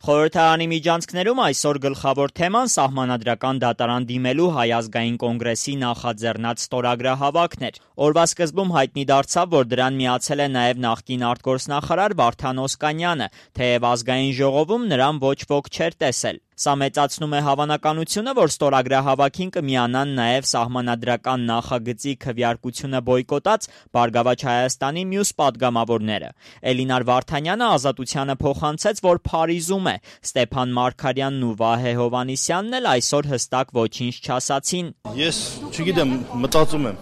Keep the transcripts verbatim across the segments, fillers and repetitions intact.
Խորհրդարանի միջանցքներում այսօր գլխավոր թեման սահմանադրական դատարան դիմելու Հայ ազգային կոնգրեսի նախաձեռնած ստորագրահավաքն էր։ Օրվա սկզբում հայտնի դարձավ, որ դրան միացել է նաև նախկին արտգործնախարար Վարդան Օսկանյանը, թեև ազգային ժողովում նրան ոչ ոք չէր տեսել։ Սա մեծացնում է հավանականությունը, որ ստորագրահավաքին կմիանան նաև սահմանադրական նախագծի քվեարկությունը բոյկոտած Բարգավաճ Հայաստանի մյուս պատգամավորները։ Էլինար Վարդանյանը Ազատությանը փոխանցեց, որ Փարիզում է։ Ստեփան Մարգարյանն ու Վահե Հովհաննիսյանն էլ այսօր հստակ ոչինչ չասացին։ Ես չգիտեմ, մտածում եմ։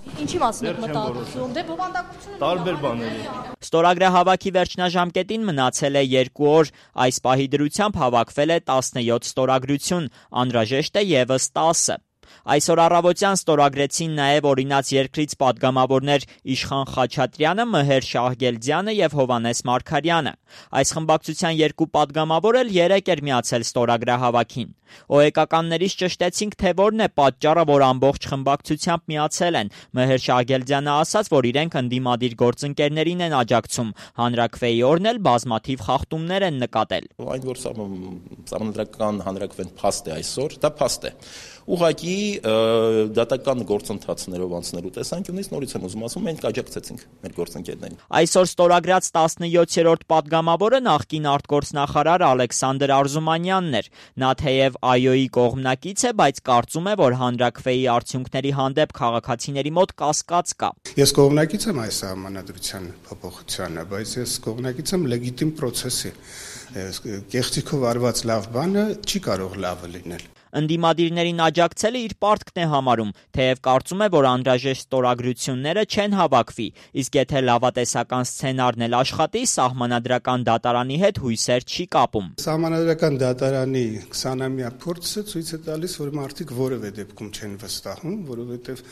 Ինչի մասին եք մտածում? Դե բովանդակությունը տարբեր բաների։ Ստորագրահավաքի վերջնաժամկետին մնացել է երկու օր։ Այս պահի դրությամբ հավաքվել է տասնյոթ ստորագրություն, անհրաժեշտ է ևս տասը։ Այսօր առավոտյան ստորագրեցին նաև օրինաց երկրից պատգամավորներ Իշխան Խաչատրյանը, Մհեր Շահգելդյանը և Հովհաննես Մարգարյանը։ Այս խմբակցության երկու պատգամավոր էլ երեկ էր միացել ստորագրահավաքին։ Օեկականներից ճշտեցինք, թե որն է պատճառը, որ ամբողջ խմբակցությամբ միացել են։ Մհեր Շահգելդյանը ասաց, որ իրենք ընդդիմադիր գործընկերներին են աջակցում։ Հանրաքվեի օրն էլ բազմաթիվ խախտումներ են նկատել։ Այն որ սահմանադրական հանրաքվեն փաստ է այսօր, դա փաստ է։ Ուղղակի դատական գործընթացներով անցնելու տեսանկյունից նորից եմ ուզում ասում, մենք աջակցեցինք մեր գործընկերներին։ Այսօր ստորագրած տասնյոթերորդ պատգամավորը նախկին արտգործնախարար Ալեքսանդր Արզումանյանն էր։ Նա թեև ԱՅՈ-ի կողմնակից է, բայց կարծում է, որ հանրաքվեի արդյունքների հանդեպ քաղաքացիների մոտ կասկած կա։ Ես կողմնակից եմ այս սահմանադրության փոփոխությանը, բայց ես կողմնակից եմ լեգիտիմ process-ի։ Կեղծիքով արված լավ բանը չի կարող լավը լինել։ Ընդդիմադիրներին աջակցելը իր պարտքն է համարում, թեև կարծում է, որ անհրաժեշտ ստորագրությունները չեն հավաքվի, իսկ եթե լավատեսական սցենարն էլ աշխատի, սահմանադրական դատարանի հետ հույսեր չի կապում։ Սահմանադրական դատարանի քսանամյա փորձը ցույց է տալիս, որ մարդիկ որևէ դեպքում չեն վստահում, որովհետև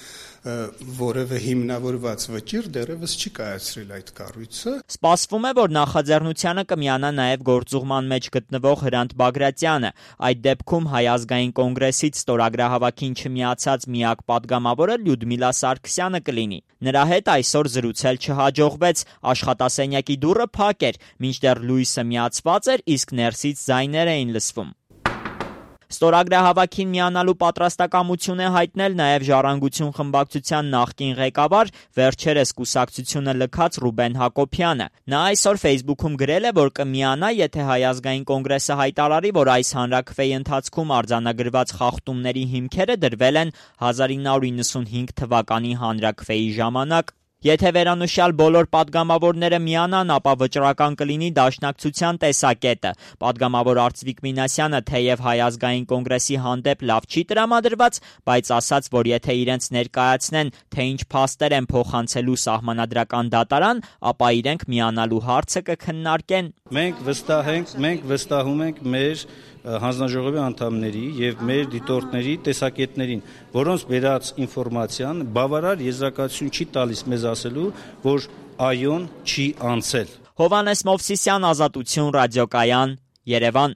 որևէ հիմնավորված վճիռ դեռևս չի կայացրել այդ կառույցը։ Սպասվում է, որ նախաձեռնությանը կմիանա նաև գործուղման մեջ գտնվող Հրանտ Բագրատյանը։ Այդ դեպքում Հայ ազգային կոնգրեսից ստորագրահավաքին չմիացած միակ պատգամավորը Լյուդմիլա Սարգսյանը կլինի։ Նրա հետ այսօր զրուցել չհաջողվեց, աշխատասենյակի դուռը փակ էր, մինչդեռ լույսը միացված էր, իսկ ներսից ձայներ էին լսվում։ Ստորագրահավաքին միանալու պատրաստակամություն է հայտնել նաև Ժառանգություն խմբակցության նախկին ղեկավար, վերջերս կուսակցությունը լքած Ռուբեն Հակոբյանը։ Նա այսօր Facebook-ում գրել է, որ կմիանա, եթե Հայ ազգային կոնգրեսը հայտարարի, որ այս հանրաքվեի ընթացքում արձանագրված խախտումների հիմքերը դրվել են հազար ինը հարյուր իննսունհինգ թվականի հանրաքվեի ժամանակ։ Եթե վերանշյալ բոլոր պատգամավորները միանան, ապա վճռական կլինի դաշնակցության տեսակետը։ Պատգամավոր Արծվիկ Մինասյանը թեև Հայ ազգային կոնգրեսի հանդեպ լավ չի տրամադրված, բայց ասաց, որ եթե իրենց ներկայացնեն, թե ինչ փաստեր են փոխանցելու սահմանադրական դատարան, ապա իրենք միանալու հարցը կքննարկեն։ Մենք վստահ ենք, մենք վստահում ենք մեր հանձնաժողովի անդամների եւ մեր դիտորդների տեսակետներին, որոնց բերած ինֆորմացիան բավարար եզրակացություն չի տալիս մեզ ասելու, որ ԱՅՈ-ն չի անցել։ Հովհաննես Մովսիսյան, Ազատություն, ռադիոկայան, Երևան։